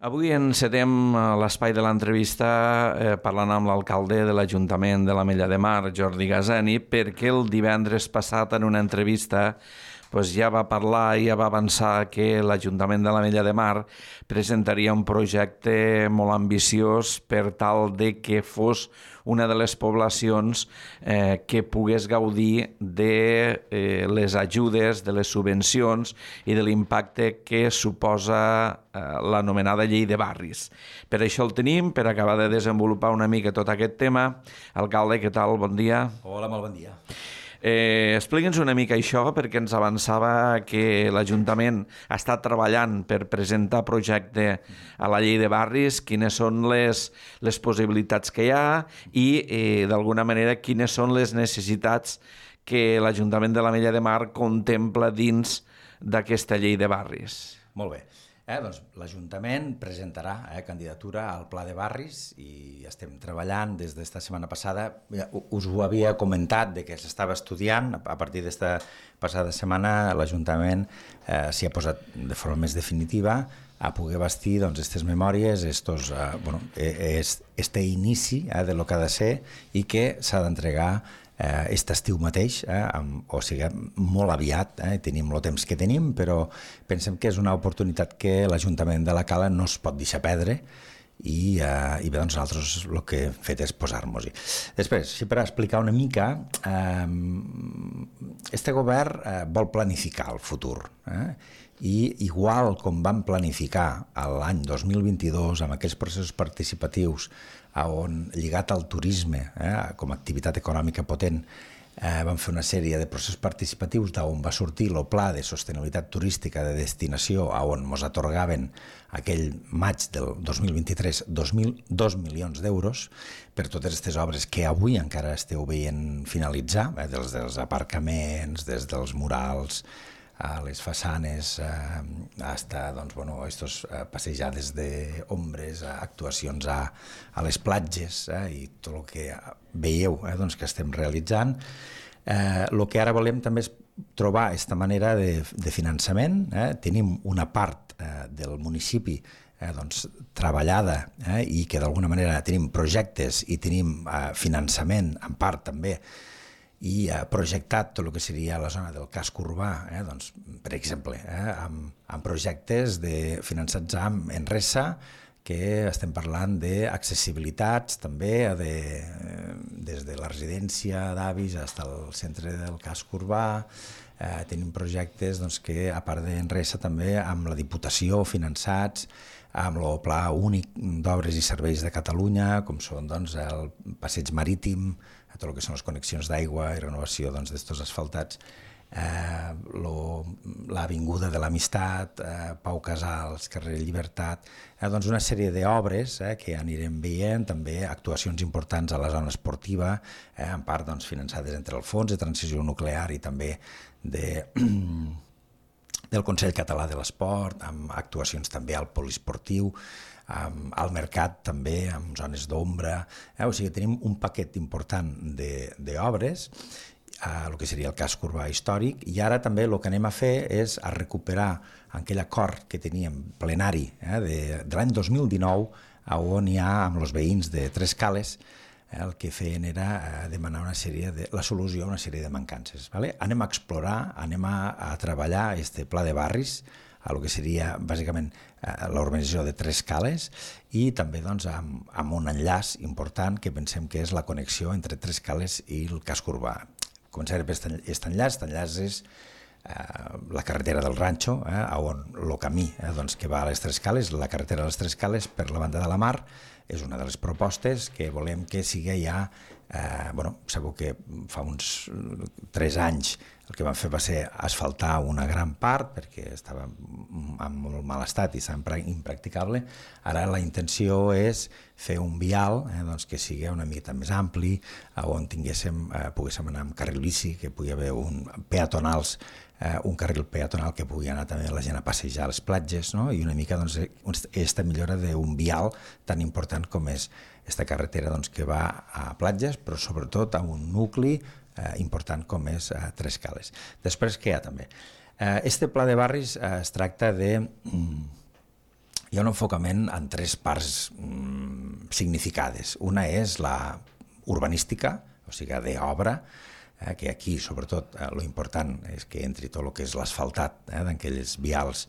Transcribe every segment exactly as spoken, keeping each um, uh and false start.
Avui encetem l'espai de l'entrevista eh, parlant amb l'alcalde de l'Ajuntament de l'Ametlla de Mar, Jordi Gazani, perquè el divendres passat en una entrevista pues, ja va parlar i ja va avançar que l'Ajuntament de l'Ametlla de Mar presentaria un projecte molt ambiciós per tal de que fos una de les poblacions eh, que pogués gaudir de eh, les ajudes, de les subvencions i de l'impacte que suposa eh, l'anomenada llei de barris. Per això el tenim, per acabar de desenvolupar una mica tot aquest tema. Alcalde, què tal? Bon dia. Hola, molt bon dia. Eh, Explica'ns una mica això, perquè ens avançava que l'Ajuntament ha estat treballant per presentar projecte a la llei de barris, quines són les, les possibilitats que hi ha i, eh, d'alguna manera, quines són les necessitats que l'Ajuntament de l'Ametlla de Mar contempla dins d'aquesta llei de barris. Molt bé. Eh, doncs, L'Ajuntament presentarà eh, candidatura al Pla de Barris i estem treballant des d'esta setmana passada. Us ho havia comentat de que s'estava estudiant. A partir d'esta passada setmana l'Ajuntament eh, s'hi ha posat de forma més definitiva a poder bastir doncs, aquestes memòries, estos, eh, bueno, este inici eh, de lo que ha de ser i que s'ha d'entregar aquest eh, estiu mateix, eh, amb, o sigui, molt aviat, eh, tenim el temps que tenim, però pensem que és una oportunitat que l'Ajuntament de la Cala no es pot deixar perdre i, eh, i bé, doncs nosaltres el que hem fet és posar-nos-hi. Després, si per explicar una mica, eh, este govern eh, vol planificar el futur, eh, i igual com vam planificar l'any dos mil vint-i-dos amb aquells processos participatius on, lligat al turisme eh, com a activitat econòmica potent, eh, vam fer una sèrie de processos participatius d'on va sortir el pla de sostenibilitat turística de destinació on ens atorgaven aquell maig del dos mil vint-i-tres dos milions d'euros per totes aquestes obres que avui encara esteu veient finalitzar, eh, des dels aparcaments, des dels murals, a les façanes, eh, hasta doncs, bueno, estos, eh, passejades d'ombres, actuacions a, a les platges eh, i tot el que veieu eh, doncs, que estem realitzant. Eh, el que ara volem també és trobar aquesta manera de, de finançament. Eh? Tenim una part eh, del municipi eh, doncs, treballada eh, i que d'alguna manera tenim projectes i tenim eh, finançament en part també i ha projectat tot el que seria la zona del casc urbà, eh, doncs, per exemple, eh, amb, amb projectes de, finançats amb Enresa, que estem parlant d'accessibilitats també, de, des de la residència d'avis fins al centre del casc urbà. Eh, tenim projectes doncs, que, a part d'Enresa, també amb la Diputació finançats, amb el Pla Únic d'Obres i Serveis de Catalunya, com són doncs, el passeig marítim, tot el que són les connexions d'aigua i renovació d'estos doncs, asfaltats, eh, l'Avinguda de l'Amistat, eh, Pau Casals, carrer Llibertat, eh, doncs una sèrie d'obres eh, que anirem veient, també actuacions importants a la zona esportiva, eh, en part doncs, finançades entre el Fons de Transició Nuclear i també de... del Consell Català de l'Esport, amb actuacions també al poliesportiu, al mercat també, amb zones d'ombra. Eh? O sigui, tenim un paquet important d'obres, eh, el que seria el casc urbà històric, i ara també el que anem a fer és a recuperar aquell acord que teníem plenari eh, de, de l'any dos mil dinou, on hi ha amb els veïns de Tres Cales, eh, el que feien era eh, demanar una sèrie de, la solució a una sèrie de mancances. Vale? Anem a explorar, anem a, a treballar este pla de barris, a el que seria bàsicament eh, l'urbanització de Tres Cales i també doncs, amb, amb un enllaç important que pensem que és la connexió entre Tres Cales i el casc urbà. Començaré per aquest enllaç, aquest enllaç és eh, la carretera del Ranxo, eh, on el camí eh, doncs, que va a les Tres Cales, la carretera de les Tres Cales per la banda de la mar, és una de les propostes que volem que sigui ja, eh, bueno, sabeu que fa uns tres anys el que vam fer va ser asfaltar una gran part perquè estava en molt mal estat i estava impracticable. Ara la intenció és fer un vial eh, doncs que sigui una mica més ampli, on tinguéssim, eh, poguéssim anar amb carril bici, que pugui haver un peatonals, eh, un carril peatonal que pugui anar també la gent a passejar a les platges, no? I una mica doncs, aquesta millora d'un vial tan important com és aquesta carretera doncs, que va a platges, però sobretot a un nucli eh, important com és eh, Tres Cales. Després, què hi ha també? Eh, este pla de barris eh, es tracta de mm, hi ha un enfocament en tres parts mm, significades. Una és la urbanística, o sigui, d'obra, eh, que aquí, sobretot, eh, lo important és que entri tot el que és l'asfaltat eh, d'aquells vials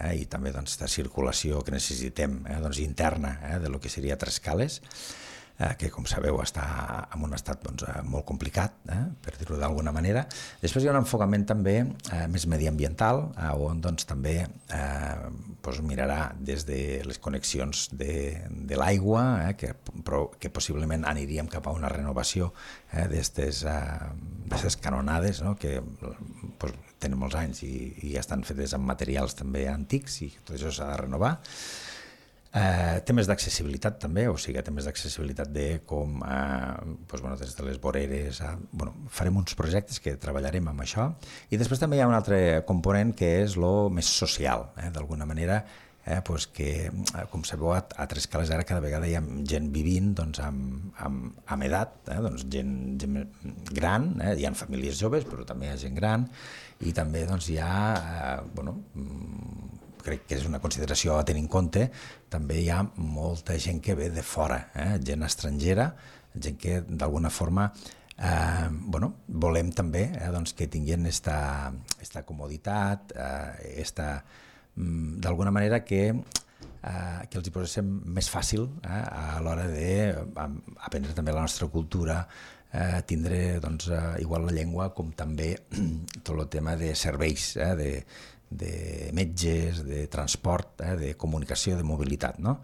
eh, i també doncs, de circulació que necessitem eh, doncs, interna eh, de lo que seria Trescales, eh, que com sabeu està en un estat doncs, molt complicat, eh, per dir-ho d'alguna manera. Després hi ha un enfocament també eh, més mediambiental, eh, on doncs, també eh, doncs, mirarà des de les connexions de, de l'aigua, eh, que, però, que possiblement aniríem cap a una renovació eh, d'aquestes eh, canonades, no? que doncs, tenen molts anys i, i estan fetes amb materials també antics i tot això s'ha de renovar. Eh, temes d'accessibilitat també, o sigui, temes d'accessibilitat de com, eh, doncs, bueno, des de les voreres, eh, bueno, farem uns projectes que treballarem amb això, i després també hi ha un altre component que és lo més social, eh, d'alguna manera, eh, doncs que, com sabeu, a, a Trescales ara cada vegada hi ha gent vivint doncs, amb, amb, amb edat, eh, doncs, gent, gent gran, eh, hi ha famílies joves, però també hi ha gent gran, i també doncs, hi ha, eh, bueno, crec que és una consideració a tenir en compte, també hi ha molta gent que ve de fora, eh? gent estrangera, gent que d'alguna forma eh, bueno, volem també eh, doncs que tinguin esta, esta comoditat, eh, esta, mm, d'alguna manera que, eh, que els hi poséssim més fàcil eh, a l'hora d'aprendre també la nostra cultura, eh, tindre doncs, eh, igual la llengua com també tot el tema de serveis, eh, de de metges, de transport, eh, de comunicació, de mobilitat. No?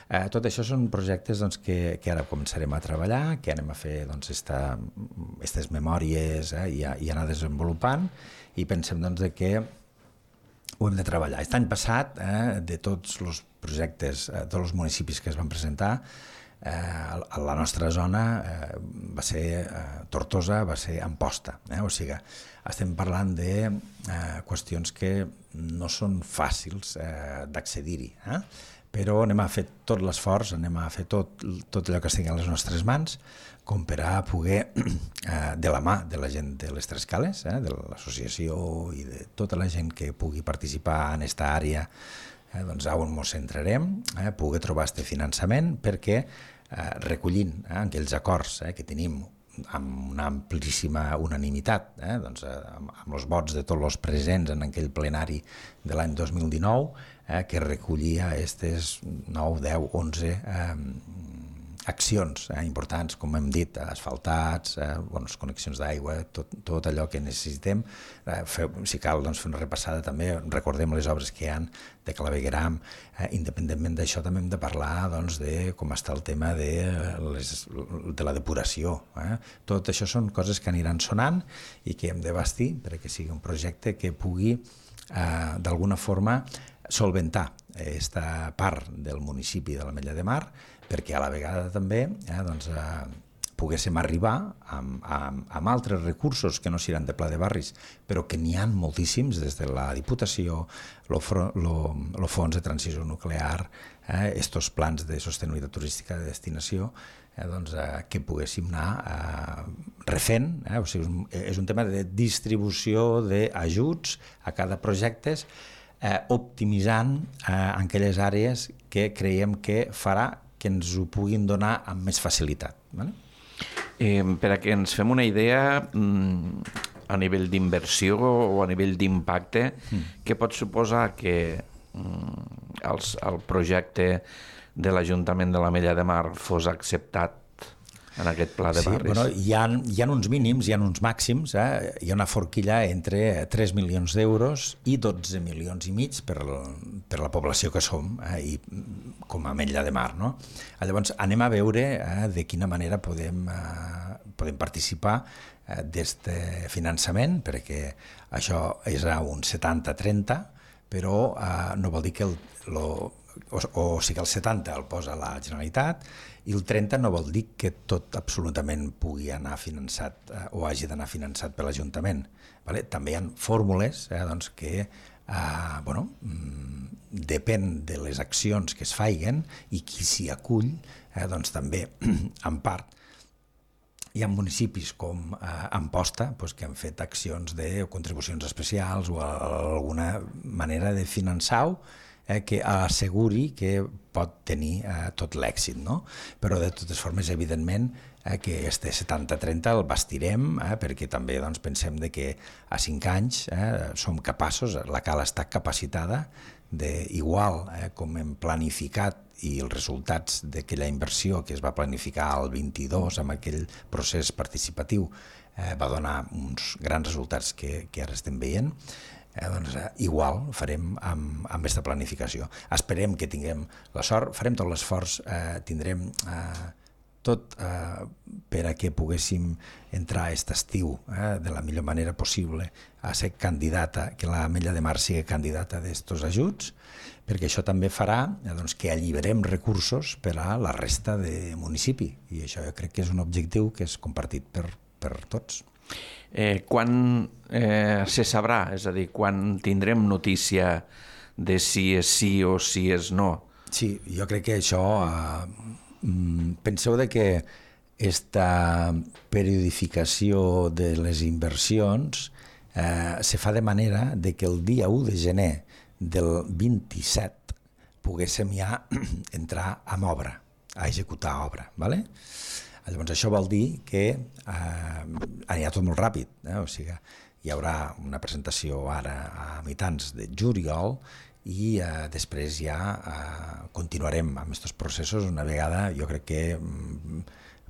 Eh, tot això són projectes doncs, que, que ara començarem a treballar, que anem a fer doncs, esta, aquestes memòries eh, i, a, i anar desenvolupant, i pensem doncs, que ho hem de treballar. Aquest any passat, eh, de tots els projectes, eh, tots els municipis que es van presentar, eh, a la nostra zona eh, va ser eh, Tortosa, va ser Amposta. Eh? O sigui, estem parlant de eh, qüestions que no són fàcils eh, d'accedir-hi, eh? Però anem a fer tot l'esforç, anem a fer tot, tot allò que estigui a les nostres mans com per a poder, eh, de la mà de la gent de les Trescales, eh, de l'associació i de tota la gent que pugui participar en aquesta àrea, eh, doncs on ens centrarem, eh, poder trobar aquest finançament perquè eh, recollint eh, aquells acords eh, que tenim amb una amplíssima unanimitat, eh? doncs, eh, amb, amb els vots de tots els presents en aquell plenari de l'any dos mil dinou, eh, que recollia aquestes nou, deu, onze eh, accions eh, importants, com hem dit, asfaltats, eh, bueno, connexions d'aigua, tot, tot allò que necessitem. Eh, fer, si cal, doncs, fer una repassada també, recordem les obres que hi ha de clavegueram. Eh, independentment d'això també hem de parlar doncs, de com està el tema de, les, de la depuració. Eh? Tot això són coses que aniran sonant i que hem de bastir perquè sigui un projecte que pugui eh, d'alguna forma solventar aquesta part del municipi de l'Ametlla de Mar, perquè a la vegada també eh, doncs, eh, poguéssim arribar amb, amb, amb altres recursos que no seran de Pla de Barris, però que n'hi ha moltíssims des de la Diputació, el Fons de Transició Nuclear, eh, estos plans de sostenibilitat turística de destinació, eh, doncs, eh, que poguéssim anar eh, refent. Eh, o sigui, és un tema de distribució d'ajuts a cada projecte, eh, optimitzant eh, en aquelles àrees que creiem que farà que ens ho puguin donar amb més facilitat. Vale? Eh, per a que ens fem una idea, a nivell d'inversió o a nivell d'impacte, mm. què pot suposar que els, el projecte de l'Ajuntament de l'Ametlla de Mar fos acceptat en aquest pla de sí, barris? Bueno, hi, ha, hi ha uns mínims, hi ha uns màxims, eh? Hi ha una forquilla entre tres milions d'euros i dotze milions i mig per, per la població que som, eh? I com a Ametlla de Mar. No? Llavors anem a veure eh, de quina manera podem, eh, podem participar eh, d'aquest finançament, perquè això és un setanta trenta, però eh, no vol dir que el, lo, o, o sigui el setanta el posa la Generalitat i el trenta no vol dir que tot absolutament pugui anar finançat eh, o hagi d'anar finançat per l'Ajuntament. Vale? També hi ha fórmules eh, doncs que eh, bueno, depèn de les accions que es faiguen i qui s'hi acull, eh, doncs també en part hi ha municipis com eh, Amposta doncs, que han fet accions de contribucions especials o alguna manera de finançar-ho eh, que asseguri que pot tenir eh, tot l'èxit, no? Però de totes formes, evidentment, eh, que este setanta trenta el bastirem, eh, perquè també doncs, pensem de que a cinc anys eh, som capaços, la Cala està capacitada de, igual eh, com hem planificat i els resultats d'aquella inversió que es va planificar al vint-i-dos amb aquell procés participatiu eh, va donar uns grans resultats que, que ara estem veient, eh, doncs eh, igual farem amb, amb aquesta planificació. Esperem que tinguem la sort, farem tot l'esforç, eh, tindrem eh, tot eh, per a que poguéssim entrar aquest estiu eh, de la millor manera possible a ser candidata, que l'Ametlla de Mar sigui candidata d'estos ajuts, perquè això també farà eh, doncs, que alliberem recursos per a la resta de municipi, i això jo crec que és un objectiu que és compartit per, per tots. Eh, quan eh, se sabrà? És a dir, quan tindrem notícia de si és sí o si és no? Sí, jo crec que això... Eh, penseu de que esta periodificació de les inversions eh, se fa de manera de que el dia u de gener del vint-i-set poguéssim ja entrar en obra, a executar obra. ¿Vale? Llavors això vol dir que eh, anirà tot molt ràpid, eh? O sigui, hi haurà una presentació ara a mitjans de juliol i eh, després ja eh, continuarem amb aquests processos una vegada, jo crec que mm,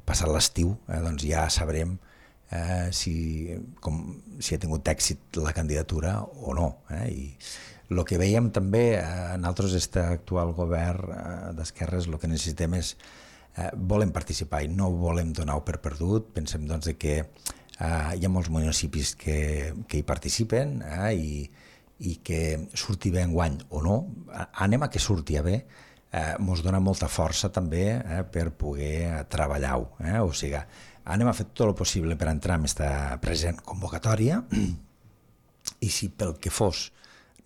passat l'estiu, eh, doncs ja sabrem eh, si, com, si ha tingut èxit la candidatura o no. Eh? I el que veiem també, eh, nosaltres, aquest actual govern eh, d'esquerres, el que necessitem és eh, volem participar i no volem donar-ho per perdut. Pensem doncs, que eh, hi ha molts municipis que, que hi participen eh, i i que surti bé enguany o no, anem a que surti bé, eh, mos dona molta força també eh, per poder treballar-ho. Eh? O sigui, anem a fer tot el possible per entrar en aquesta present convocatòria i si pel que fos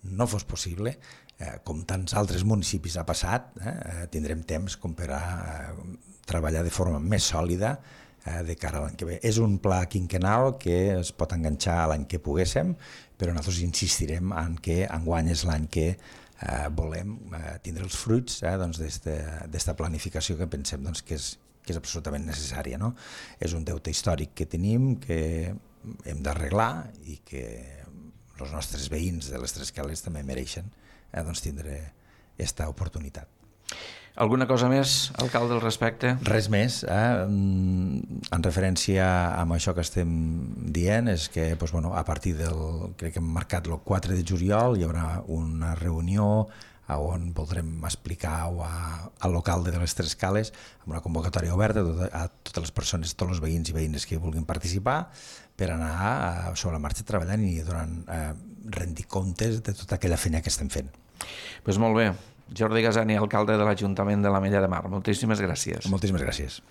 no fos possible, eh, com tants altres municipis ha passat, eh, tindrem temps com per a eh, treballar de forma més sòlida eh, de cara a l'any que ve. És un pla quinquenal que es pot enganxar a l'any que poguéssim, però nosaltres insistirem en que enguany és l'any que eh, volem eh, tindre els fruits eh, doncs d'esta planificació que pensem doncs, que, és, que és absolutament necessària. No? És un deute històric que tenim, que hem d'arreglar i que els nostres veïns de les Tres Cales també mereixen eh, doncs, tindre aquesta oportunitat. Alguna cosa més, alcalde, al respecte? Res més. Eh? En referència a això que estem dient, és que doncs, bueno, a partir del, crec que hem marcat el quatre de juliol, hi haurà una reunió on voldrem explicar al local de les Tres Cales amb una convocatòria oberta a totes les persones, tots els veïns i veïnes que vulguin participar, per anar sobre la marxa treballant i donant, eh, rendir comptes de tota aquella feina que estem fent. Doncs molt bé. Jordi Gasani, alcalde de l'Ajuntament de l'Ametlla de Mar. Moltíssimes gràcies. Moltíssimes gràcies.